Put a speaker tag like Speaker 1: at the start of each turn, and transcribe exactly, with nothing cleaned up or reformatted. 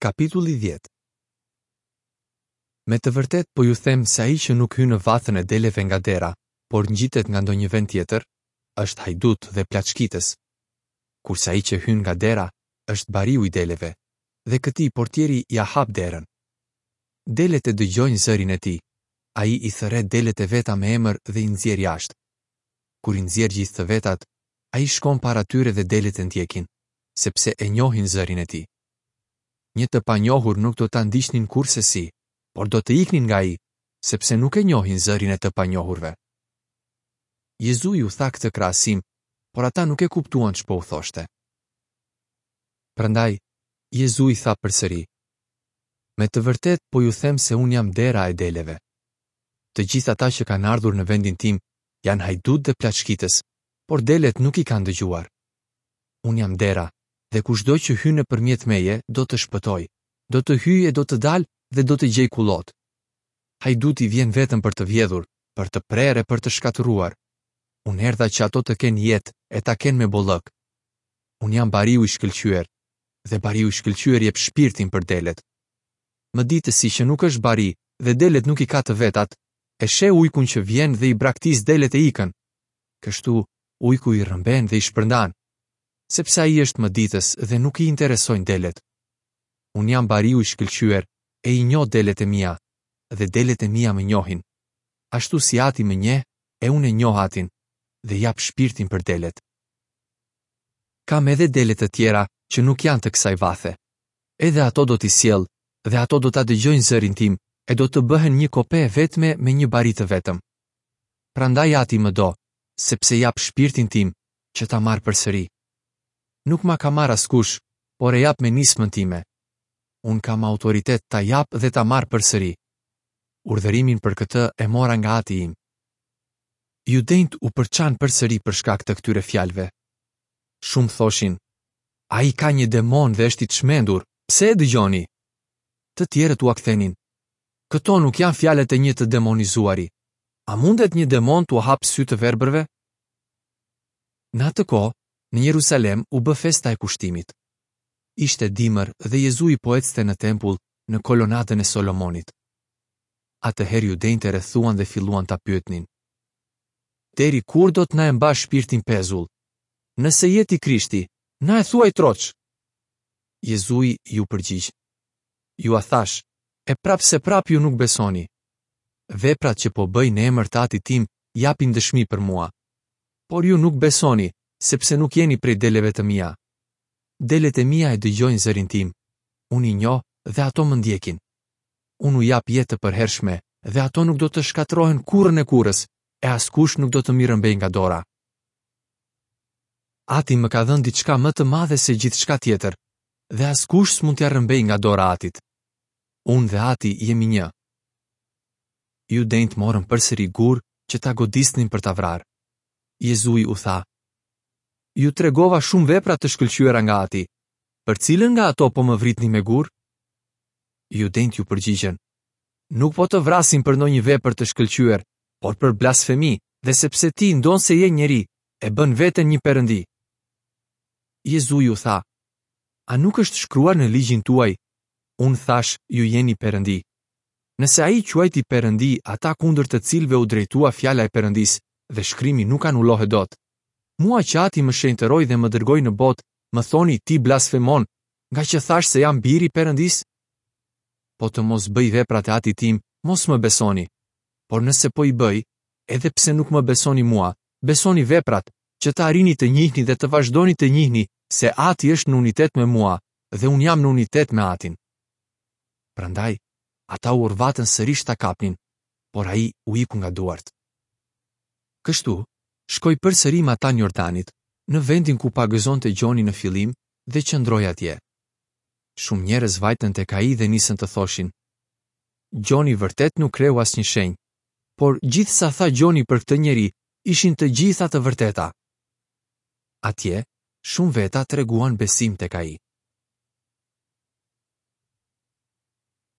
Speaker 1: Kapitulli dhjetë. Me të vërtetë po ju them se ai që nuk hyn në vathën e deleve nga dera, por ngjitet nga ndonjë vend tjetër, është hajdut dhe plaçkitës. Kurse ai që hyn nga dera, është bariu i deleve, dhe këtij portieri ia hap derën. Delet e dëgjojnë zërin e tij. Ai i thërret delet e veta me emër dhe i nxjerr jashtë. Kur i nxjerr gjithë të vetat, ai shkon para tyre dhe delet e ndjekin, sepse e njohin zërin e tij. Një të panjohur nuk do ta ndiqnin kurrsesi, por do të iknin nga ai, sepse nuk e njohin zërin e të panjohurve. Jezui u tha këtë krahasim, por ata nuk e kuptuan ç'po u thoshte. Prandaj, Jezui tha përsëri: Me të vërtetë po ju them se unë jam dera e deleve. Të gjithë ata që kanë ardhur në vendin tim janë hajdutë dhe plaçkitës, por delet nuk i kanë dëgjuar. Unë jam dera, dhe kushdo që hyn nëpërmjet meje do të shpëtojë, do të hyjë e do të dalë dhe do të gjejë kullot. Hajduti vjen vetëm për të vjedhur, për të prerë e për të shkatërruar. Unë erdha që ato të kenë jetë e ta kenë me bollëk. Unë jam bariu i shkëlqyer, dhe bariu i shkëlqyer jep shpirtin për delet. Mëditësi që nuk është bari dhe delet nuk i ka të vetat, e sheh ujkun që vjen dhe i braktis delet e ikën. Kështu, ujku i rrëmben dhe i shpërndan, sepse ai është mëditës dhe nuk i interesojnë delet. Unë jam bariu i shkëlqyer e i njoh delet e mia, dhe delet e mia më njohin. Ashtu si ati më njeh, e unë e njoh atin, dhe jap shpirtin për delet. Kam edhe dele të tjera që nuk janë të kësaj vathe. Edhe ato do t'i sjell, dhe ato do ta dëgjojnë zërin tim, e do të bëhen një kope e vetme me një bari të vetëm. Prandaj ati më do, sepse jap shpirtin tim, që ta marr përsëri. Nuk ma ka marrë askush, por e jap me nismën time. Unë kam autoritet ta jap dhe ta marr përsëri. Urdhërimin për këtë e mora nga ati im. Judenjtë u përçan përsëri për shkak të këtyre fjalëve. Shumë thoshin: Ai ka një demon dhe është i çmendur, pse e dëgjoni? Të tjerët ua kthenin: Këto nuk janë fjalët e një të demonizuari. A mundet një demon t'ua hap sy të verbërve? Në atë kohë, në Jerusalem u bë festa e kushtimit. Ishte dimër dhe Jezui po ecte në tempull në kolonadën e Solomonit. Atëherë judenjtë e rrethuan dhe filluan ta pyetnin: Deri kur do të na e mbash shpirtin pezull? Nëse je ti Krishti, na e thuaj troç. Jezui ju përgjigj: Jua thash, e prapë se prapë ju nuk besoni. Veprat që po bëj në emër të Atit tim japin dëshmi për mua. Por ju nuk besoni, sepse nuk jeni prej deleve të mia. Delet e mia e dëgjojnë zërin tim. Unë i njoh dhe ato më ndjekin. Unë u jap jetë të përhershme dhe ato nuk do të shkatërrohen kurrën e kurrës, e askush nuk do të m'i rrëmbejë nga dora. Ati më ka dhënë diçka më të madhe se gjithçka tjetër, dhe askush s'mund t'ia rrëmbejë nga dora Atit. Unë dhe Ati jemi një. Judenjtë morën përsëri gur që ta godisnin për ta vrarë. Jezui u tha: Ju tregova shumë vepra të shkëlqyera nga Ati. Për cilën nga ato po më vritni me gur? Judenjtë ju përgjigjën: Nuk po të vrasim për ndonjë vepër të shkëlqyer, por për blasfemi, dhe sepse ti, ndonëse je njeri, e bën veten një perëndi. Jezui u tha: A nuk është shkruar në ligjin tuaj? Unë thash, ju jeni perëndi. Nëse ai quajti perëndi ata kundër të cilëve u drejtua fjala e perëndisë, dhe shkrimi nuk anulohet dot. Mua që ati më shenjtëroi dhe më dërgoi në botë, më thoni ti blasfemon, nga që thash se jam biri i perëndisë? Po të mos bëj veprat e atit tim, mos më besoni. Por nëse po i bëj, edhe pse nuk më besoni mua, besoni veprat, që të arrini të njihni dhe të vazhdoni të njihni se Ati është në unitet me mua dhe unë jam në unitet me Atin. Prandaj, ata u orvatën sërish ta kapnin, por ai u iku nga duart. Kështu, shkoi përsëri matanë Jordanit, në vendin ku pagëzonte Gjoni në fillim dhe qëndroi atje. Shumë njerëz vajtën tek ai dhe nisën të thoshin: Gjoni vërtet nuk kreu asnjë shenjë, por gjithë sa tha Gjoni për këtë njeri ishin të gjitha të vërteta. Atje, shumë veta treguan besim tek ai.